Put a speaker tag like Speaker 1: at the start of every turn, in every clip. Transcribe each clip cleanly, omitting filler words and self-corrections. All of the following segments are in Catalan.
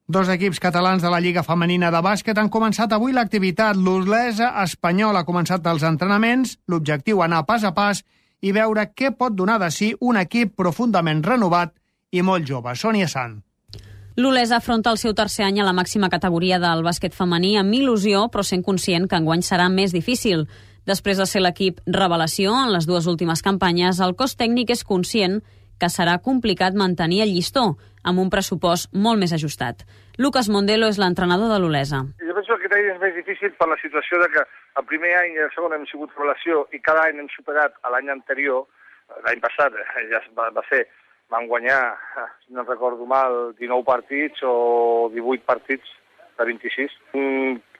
Speaker 1: Dos equips catalans de la Lliga Femenina de Bàsquet han començat avui l'activitat. L'Olesa Espanyol ha començat els entrenaments. L'objectiu anar pas a pas i veure què pot donar de si un equip profundament renovat i molt jove. Sònia Sant.
Speaker 2: L'Olesa afronta el seu tercer any a la màxima categoria del bàsquet femení amb il·lusió, però sent conscient que enguany serà més difícil. Després de ser l'equip revelació en les dues últimes campanyes, el cos tècnic és conscient que serà complicat mantenir el llistó, amb un pressupost molt més ajustat. Lucas Mondelo és l'entrenador de l'Olesa.
Speaker 3: Jo penso que aquest any és més difícil per la situació de que el primer any i el segon hem sigut revelació i cada any hem superat l'any anterior. L'any passat ja va ser, van guanyar, si no recordo mal, 19 partits o 18 partits de 26.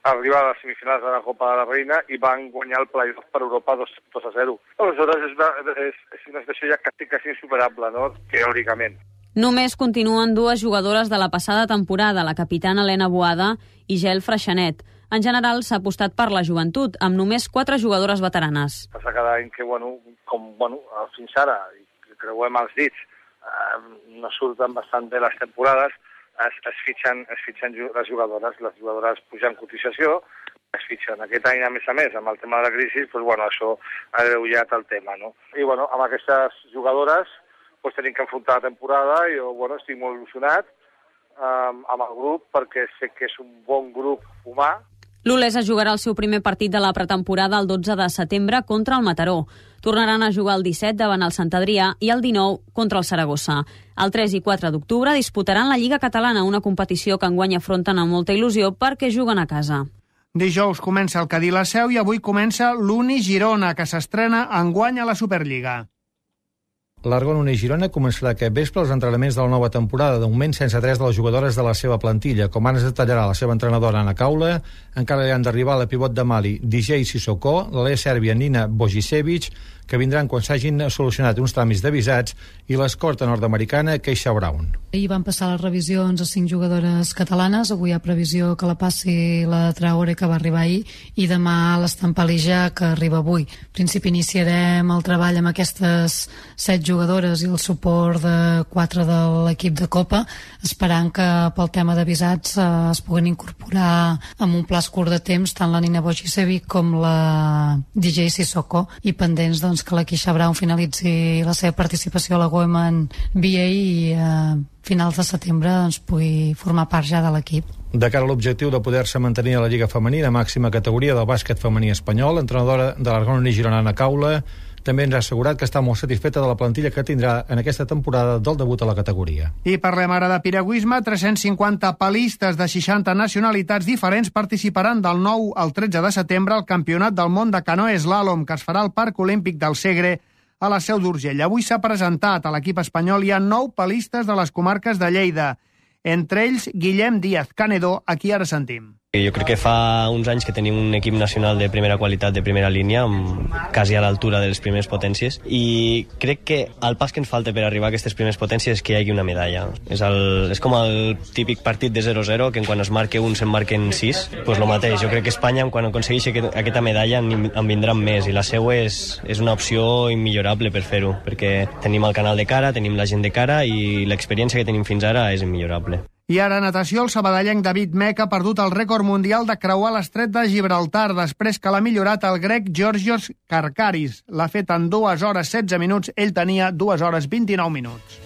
Speaker 3: Arribar a les semifinals de la Copa de la Reina i van guanyar el playoff per Europa 2-0. Aleshores és una situació ja quasi insuperable, no? Teòricament.
Speaker 2: Només continuen dues jugadores de la passada temporada, la capitana Helena Boada i Gel Freixanet. En general s'ha apostat per la joventut, amb només 4 jugadores veteranes.
Speaker 3: Passa cada any que, fins ara, i creuem els dits, no surten bastant bé les temporades, es fitxen les jugadores pugen cotització, es fitxen. Aquest any, a més, amb el tema de la crisi, això ha agreujat el tema, no? I, amb aquestes jugadores tenim que enfrontar la temporada i jo, estic molt il·lusionat amb el grup perquè sé que és un bon grup humà.
Speaker 2: L'Olesa jugarà el seu primer partit de la pretemporada el 12 de setembre contra el Mataró. Tornaran a jugar el 17 davant el Sant Adrià i el 19 contra el Saragossa. El 3 i 4 d'octubre disputaran la Lliga Catalana, una competició que enguany afronten amb molta il·lusió perquè juguen a casa.
Speaker 1: Dijous comença el Cadí La Seu i avui comença l'Uni Girona, que s'estrena enguany a la Superliga.
Speaker 4: L'Argon Uni Girona començarà aquest vespre els entrenaments de la nova temporada, de moment sense 3 de les jugadores de la seva plantilla. Com ara es detallarà la seva entrenadora Ana Caula, encara hi han d'arribar la pivot de Mali, DJ Sissoko, l'Alea Sèrbia Nina Bojicevic, que vindran quan s'hagin solucionat uns tràmits de visats, i l'escorta nord-americana Keisha Brown.
Speaker 5: Ahir van passar les revisions a 5 jugadores catalanes, avui hi ha previsió que la passi la Traore, que va arribar ahir, i demà l'Estampalija, que arriba avui. En principi iniciarem el treball amb aquestes 7 jugadores i el suport de 4 de l'equip de Copa, esperant que pel tema de visats es puguen incorporar amb un pla curt de temps tant la Nina Bojicevic com la DJ Sissoko, i pendents que la Keisha Brown finalitzi la seva participació a la Women BA i a finals de setembre pugui formar part ja de l'equip.
Speaker 4: De cara a l'objectiu de poder-se mantenir a la Lliga Femenina, màxima categoria del bàsquet femení espanyol, l'entrenadora de l'Argon Uni Girona, Ana Caula, també ens ha assegurat que està molt satisfeta de la plantilla que tindrà en aquesta temporada del debut a la categoria.
Speaker 1: I parlem ara de piragüisme. 350 palistes de 60 nacionalitats diferents participaran del 9 al 13 de setembre al Campionat del Món de Canoe Slalom, que es farà al Parc Olímpic del Segre, a la Seu d'Urgell. Avui s'ha presentat a l'equip espanyol. Hi ha 9 palistes de les comarques de Lleida, entre ells Guillem Díaz Canedo, a qui ara sentim.
Speaker 6: Jo crec que fa uns anys que tenim un equip nacional de primera qualitat, de primera línia, quasi a l'altura de les primeres potències, i crec que el pas que ens falta per arribar a aquestes primeres potències és que hi hagi una medalla. És com el típic partit de 0-0, que quan es marca un se'n marquen 6, doncs el mateix. Jo crec que Espanya, quan aconsegueixi aquesta medalla, en vindran més, i la seva és una opció immillorable per fer-ho, perquè tenim el canal de cara, tenim la gent de cara, i l'experiència que tenim fins ara és immillorable.
Speaker 1: I ara, natació, el sabadellenc David Mech ha perdut el rècord mundial de creuar l'estret de Gibraltar després que l'ha millorat el grec Georgios Karkaris. L'ha fet en 2 hores 16 minuts, ell tenia 2 hores 29 minuts.